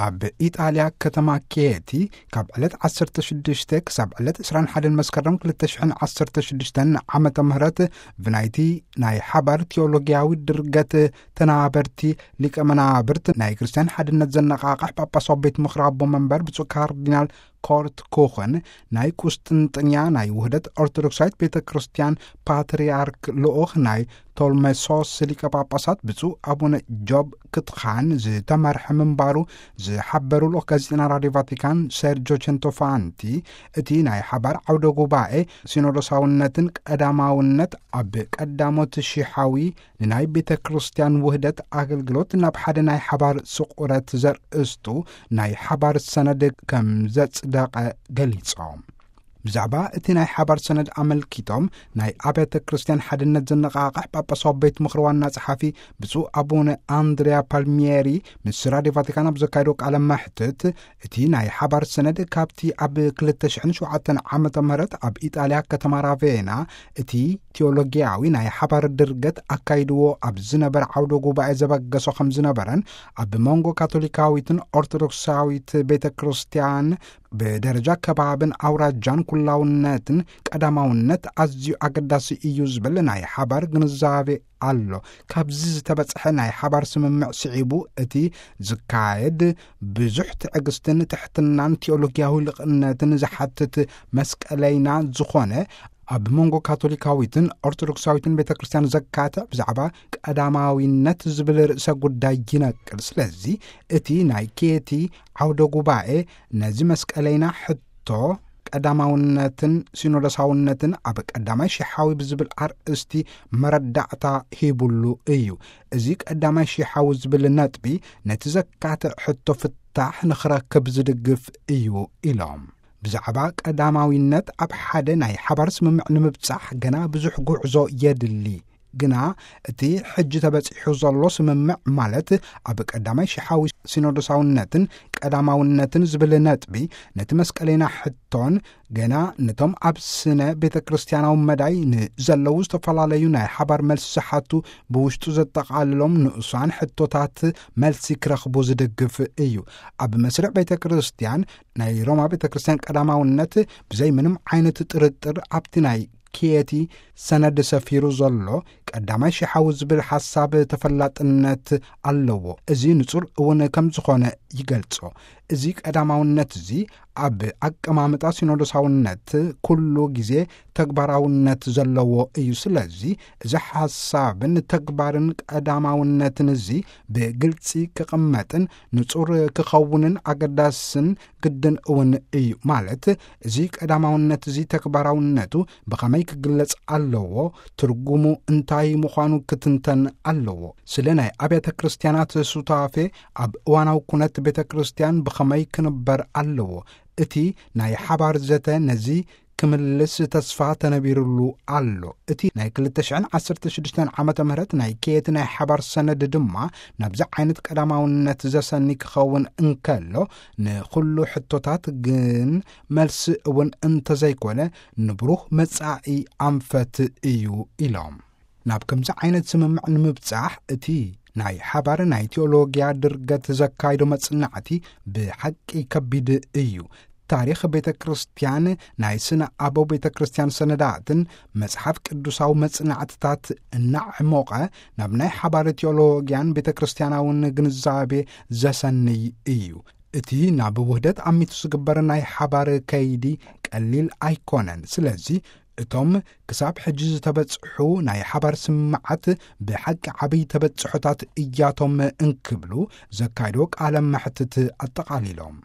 ኣብ ኢጣልያ ከተማ ኬቲ ካብ ዕለት ዓሰርተ ሽዱሽተ ክሳብ ዕለት ዕስራን ሓደን መስከረም ክልተ ሽሕን ዓሰርተ ሽዱሽተን ዓመተ ምህረት ብናይቲ ናይ ሓባር ቴዎሎጊያዊ ድርገት ተናበርቲ ሊቀ መናብርት ናይ ክርስትያን ሓድነት ዘነቓቕሕ ጳጳሳዊ ቤት ምኽሪ ኣቦ መንበር ብፁዕ ካርዲናል ኮርት ኩኽን ናይ ቁስጥንጥንያ ናይ ውህደት ኦርቶዶክሳዊት ቤተ ክርስቲያን ፓትርያርክ ልኡኽ ናይ ቶልሜሶስ ሊቀ ጳጳሳት ብፁዕ ኣቡነ ጆብ ክትኻን ዝተመርሐ ምንባሩ ዝሓበሩ ልኡኽ ጋዜጠና ራድዮ ቫቲካን ሴርጆ ቸንቶፋንቲ፣ እቲ ናይ ሓባር ዓውደ ጉባኤ ሲኖዶሳውነትን ቀዳማውነት ኣብ ቀዳሞት ሽሓዊ ንናይ ቤተ ክርስቲያን ውህደት ኣገልግሎት ናብ ሓደ ናይ ሓባር ስቑረት ዘርእስቱ ናይ ሓባር ሰነድ ከም ዘጽደቐ ገሊጾም። ብዛዕባ እቲ ናይ ሓባር ሰነድ ኣመልኪቶም ናይ ኣብያተ ክርስቲያን ሓድነት ዘነቓቕሕ ጳጳሳዊ ቤት ምኽሪ ዋና ጸሓፊ ብፁዕ ኣቡነ ኣንድሪያ ፓልሚየሪ ምስ ራድዮ ቫቲካን ኣብ ዘካየዶ ቃለ መሕትት፣ እቲ ናይ ሓባር ሰነድ ካብቲ ኣብ ክልተ ሽሕን ሸውዓተን ዓመተ ምህረት ኣብ ኢጣልያ ከተማ ራቬና እቲ ቴዎሎጊያዊ ናይ ሓባር ድርገት ኣካይድዎ ኣብ ዝነበረ ዓውደ ጉባኤ ዘበገሶ ከም ዝነበረን፣ ኣብ መንጎ ካቶሊካዊትን ኦርቶዶክሳዊት ቤተ ክርስቲያን ብደረጃ ከባብን ኣውራጃን ኩላውነትን ቀዳማውነት ኣዝዩ ኣገዳሲ እዩ ዝብል ናይ ሓባር ግንዛቤ ኣሎ። ካብዚ ዝተበጽሐ ናይ ሓባር ስምምዕ ስዒቡ እቲ ዝካየድ ብዙሕ ትዕግስትን ትሕትናን ቴዎሎጊያዊ ልቕነትን ዝሓትት መስቀለይና ዝኾነ ኣብ መንጎ ካቶሊካዊትን ኦርቶዶክሳዊትን ቤተ ክርስቲያን ዘካትዕ ብዛዕባ ቀዳማዊነት ዝብል ርእሰ ጉዳይ ይነቅል። ስለዚ እቲ ናይ ኬቲ ዓውደ ጉባኤ ነዚ መስቀለይና ሕቶ ቀዳማውነትን ሲኖዶሳውነትን ኣብ ቀዳማይ ሽሓዊ ብዝብል ኣርእስቲ መረዳእታ ሂቡሉ እዩ። እዚ ቀዳማይ ሽሓዊ ዝብል ነጥቢ ነቲ ዘካትዕ ሕቶ ፍታሕ ንኽረክብ ዝድግፍ እዩ ኢሎም። ብዛዕባ ቀዳማዊነት ኣብ ሓደ ናይ ሓባር ስምምዕ ንምብጻሕ ገና ብዙሕ ጉዕዞ የድሊ። ግና እቲ ሕጂ ተበጺሑ ዘሎ ስምምዕ፣ ማለት ኣብ ቀዳማይ ሽሓዊ ሲኖዶሳውነትን ቀዳማውነትን ዝብል ነጥቢ፣ ነቲ መስቀለይና ሕቶን ገና ነቶም ኣብ ስነ ቤተ ክርስቲያናዊ መዳይ ንዘለዉ ዝተፈላለዩ ናይ ሓባር መልሲ ዝሓቱ ብውሽጡ ዘጠቓልሎም ንኡሳን ሕቶታት መልሲ ክረኽቡ ዝድግፍ እዩ። ኣብ መስርዕ ቤተ ክርስቲያን ናይ ሮማ ቤተ ክርስቲያን ቀዳማውነት ብዘይ ምንም ዓይነት ጥርጥር ኣብቲ ናይ ኪየቲ ሰነድ ሰፊሩ ዘሎ ቀዳማይ ሽሓዊ ዝብል ሓሳብ ተፈላጥነት ኣለዎ። እዚ ንጹር እውን ከም ዝኾነ ይገልጾ። እዚ ቀዳማውነት እዚ ኣብ ኣቀማምጣ ሲኖዶሳውነት ኩሉ ግዜ ተግባራውነት ዘለዎ እዩ። ስለዚ እዚ ሓሳብን ተግባርን ቀዳማውነትን እዚ ብግልጺ ክቕመጥን ንጹር ክኸውንን ኣገዳስን ግድን እውን እዩ። ማለት እዚ ቀዳማውነት እዚ ተግባራውነቱ ብኸመይ ክግለጽ ኣለዎ፣ ትርጉሙ እንታይ ምዃኑ ክትንተን ኣለዎ። ስለ ናይ ኣብያተ ክርስቲያናት ሱታፌ ኣብ እዋናዊ ኩነት ቤተ ክርስቲያን ብኸመይ ክንበር ኣለዎ፣ እቲ ናይ ሓባር ዘተ ነዚ ክምልስ ተስፋ ተነቢሩሉ ኣሎ። እቲ ናይ ክልተ ሽሕን ዓሰርተ ሽዱሽተን ዓመተ ምህረት ናይ ኬየት ናይ ሓባር ሰነድ ድማ ናብዚ ዓይነት ቀዳማውነት ዘሰኒ ክኸውን እንከሎ፣ ንኹሉ ሕቶታት ግን መልሲ እውን እንተዘይኮነ፣ ንብሩህ መጻኢ ኣንፈት እዩ ኢሎም። ናብ ከምዚ ዓይነት ስምምዕ ንምብጻሕ እቲ ናይ ሓባር ናይ ቴዎሎጊያ ድርገት ዘካይዶ መጽናዕቲ ብሓቂ ከቢድ እዩ። ታሪኽ ቤተ ክርስቲያን፣ ናይ ስነ ኣበው ቤተ ክርስቲያን ሰነዳትን መጽሓፍ ቅዱሳዊ መጽናዕትታት እናዕሞቐ ናብ ናይ ሓባር ቴዎሎጊያን ቤተ ክርስቲያናውን ግንዛቤ ዘሰንይ እዩ። እቲ ናብ ውህደት ኣሚቱ ዝግበር ናይ ሓባር ከይዲ ቀሊል ኣይኮነን። ስለዚ እቶም ክሳብ ሕጂ ዝተበጽሑ ናይ ሓባር ስምምዓት ብሓቂ ዓብይ ተበጽሖታት እያቶም እንክብሉ ዘካይዶ ቃለ መሕትት ኣጠቓሊሎም።